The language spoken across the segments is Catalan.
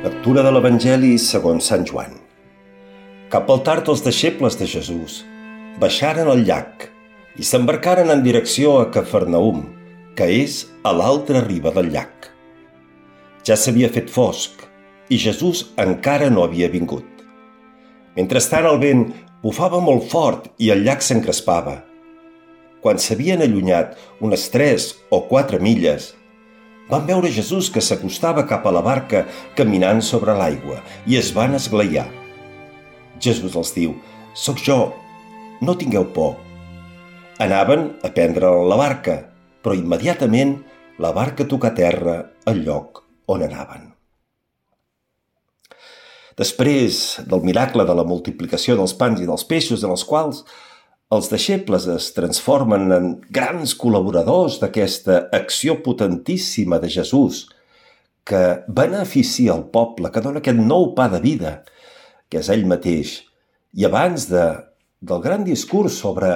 Lectura de l'Evangeli segons Sant Joan. Cap al tard els deixebles de Jesús baixaren al llac i s'embarcaren en direcció a Cafarnaum, que és a l'altra riba del llac. Ja s'havia fet fosc i Jesús encara no havia vingut. Mentrestant el vent bufava molt fort i el llac s'encrespava. Quan s'havien allunyat unes 3 o 4 milles, van veure Jesús que s'acostava cap a la barca caminant sobre l'aigua i es van esglaiar. Jesús els diu: «Soc jo, no tingueu por». Anaven a prendre la barca, però immediatament la barca tocà a terra al lloc on anaven. Després del miracle de la multiplicació dels pans i dels peixos, en els quals els deixebles es transformen en grans col·laboradors d'aquesta acció potentíssima de Jesús, que beneficia el poble, que dona aquest nou pa de vida, que és ell mateix. I abans del gran discurs sobre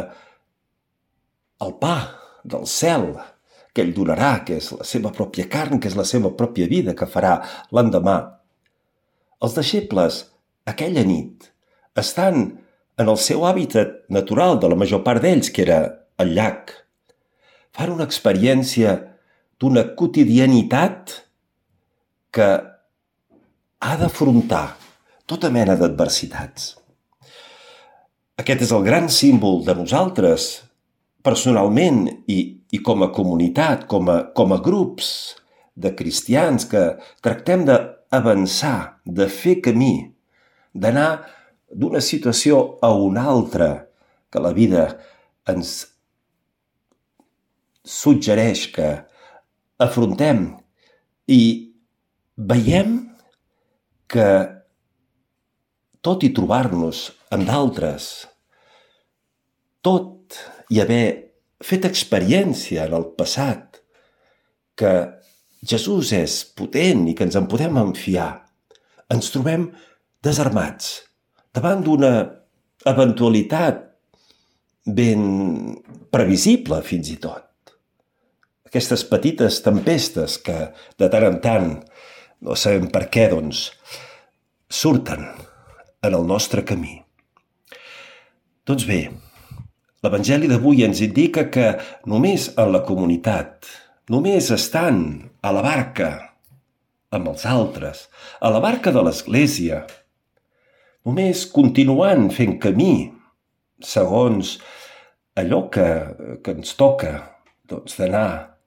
el pa del cel que ell donarà, que és la seva pròpia carn, que és la seva pròpia vida, que farà l'endemà, els deixebles, aquella nit, estan en el seu hàbitat natural de la major part d'ells, que era el llac. Fan una experiència d'una quotidianitat que ha d'afrontar tota mena d'adversitats. Aquest és el gran símbol de nosaltres, personalment i com a comunitat, com a grups de cristians que tractem d'avançar, de fer camí, d'anar d'una situació a una altra, que la vida ens suggereix que afrontem, i veiem que tot i trobar-nos amb d'altres, tot i haver fet experiència en el passat, que Jesús és potent i que ens en podem enfiar, ens trobem desarmats, davant d'una eventualitat ben previsible fins i tot. Aquestes petites tempestes que de tant en tant, no sabem per què, surten en el nostre camí. Doncs bé, l'Evangeli d'avui ens indica que només en la comunitat, només estant a la barca amb els altres, a la barca de l'Església, només continuant fent camí segons allò que ens toca, d'anar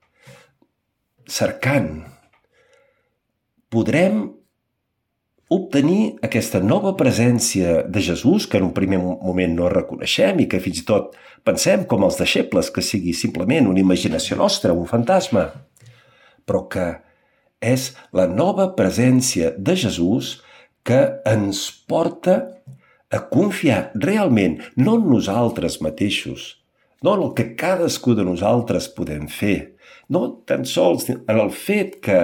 cercant, podrem obtenir aquesta nova presència de Jesús, que en un primer moment no reconeixem i que fins i tot pensem com els deixebles que sigui simplement una imaginació nostra, un fantasma, però que és la nova presència de Jesús que ens porta a confiar realment, no en nosaltres mateixos, no en el que cadascú de nosaltres podem fer, no tan sols en el fet que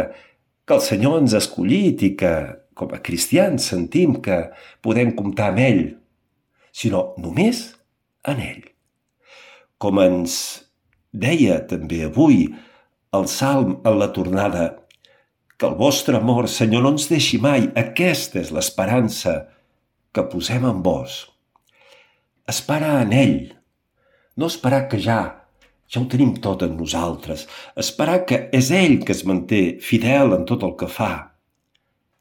el Senyor ens ha escollit i que, com a cristians, sentim que podem comptar amb ell, sinó només en ell. Com ens deia també avui el Salm en la tornada, que el vostre amor, Senyor, no ens deixi mai. Aquesta és l'esperança que posem en vos. Esperar en ell. No esperar que ja ho tenim tot en nosaltres. Esperar que és ell que es manté fidel en tot el que fa.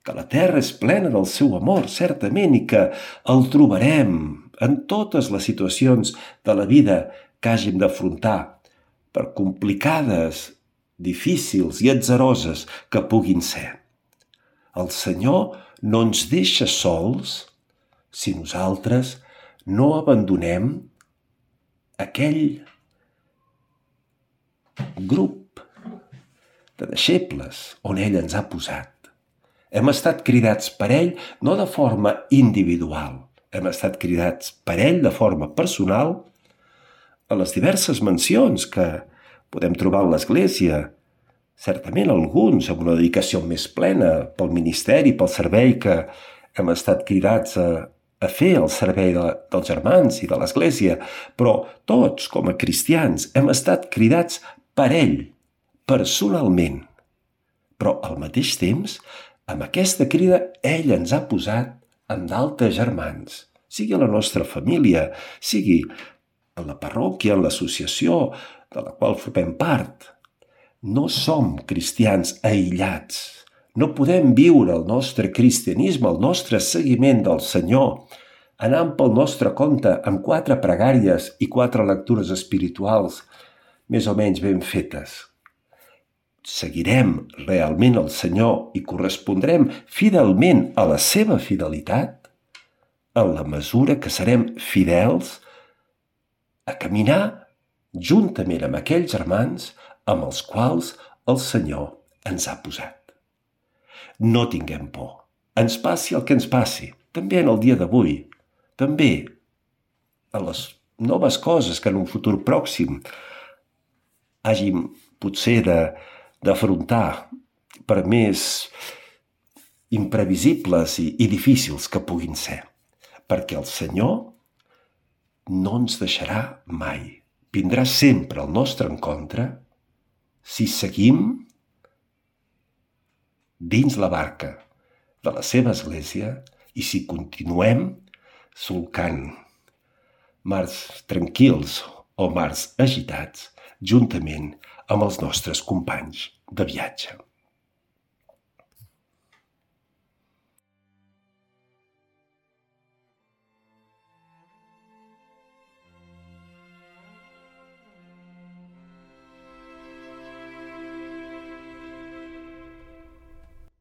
Que la terra és plena del seu amor, certament, i que el trobarem en totes les situacions de la vida que hàgim d'afrontar, per complicades, difícils i atzaroses que puguin ser. El Senyor no ens deixa sols si nosaltres no abandonem aquell grup de deixebles on ell ens ha posat. Hem estat cridats per ell no de forma individual, hem estat cridats per ell de forma personal a les diverses mencions que podem trobar en l'Església, certament alguns amb una dedicació més plena pel ministeri, pel servei que hem estat cridats a fer al servei dels germans i de l'Església, però tots, com a cristians, hem estat cridats per ell, personalment. Però al mateix temps Amb aquesta crida, ell ens ha posat amb d'altres germans, sigui a la nostra família, sigui a la parròquia, en l'associació de la qual formem part. No som cristians aïllats. No podem viure el nostre cristianisme, el nostre seguiment del Senyor, anant pel nostre compte amb 4 pregàries i 4 lectures espirituals més o menys ben fetes. Seguirem realment el Senyor i correspondrem fidelment a la seva fidelitat en la mesura que serem fidels a caminar juntament amb aquells germans amb els quals el Senyor ens ha posat. No tinguem por. Ens passi el que ens passi, també en el dia d'avui, també a les noves coses que en un futur pròxim hàgim potser d'afrontar, per més imprevisibles i difícils que puguin ser, perquè el Senyor no ens deixarà mai. Vindrà sempre al nostre encontre si seguim dins la barca de la seva església i si continuem solcant mars tranquils o mars agitats juntament amb els nostres companys de viatge.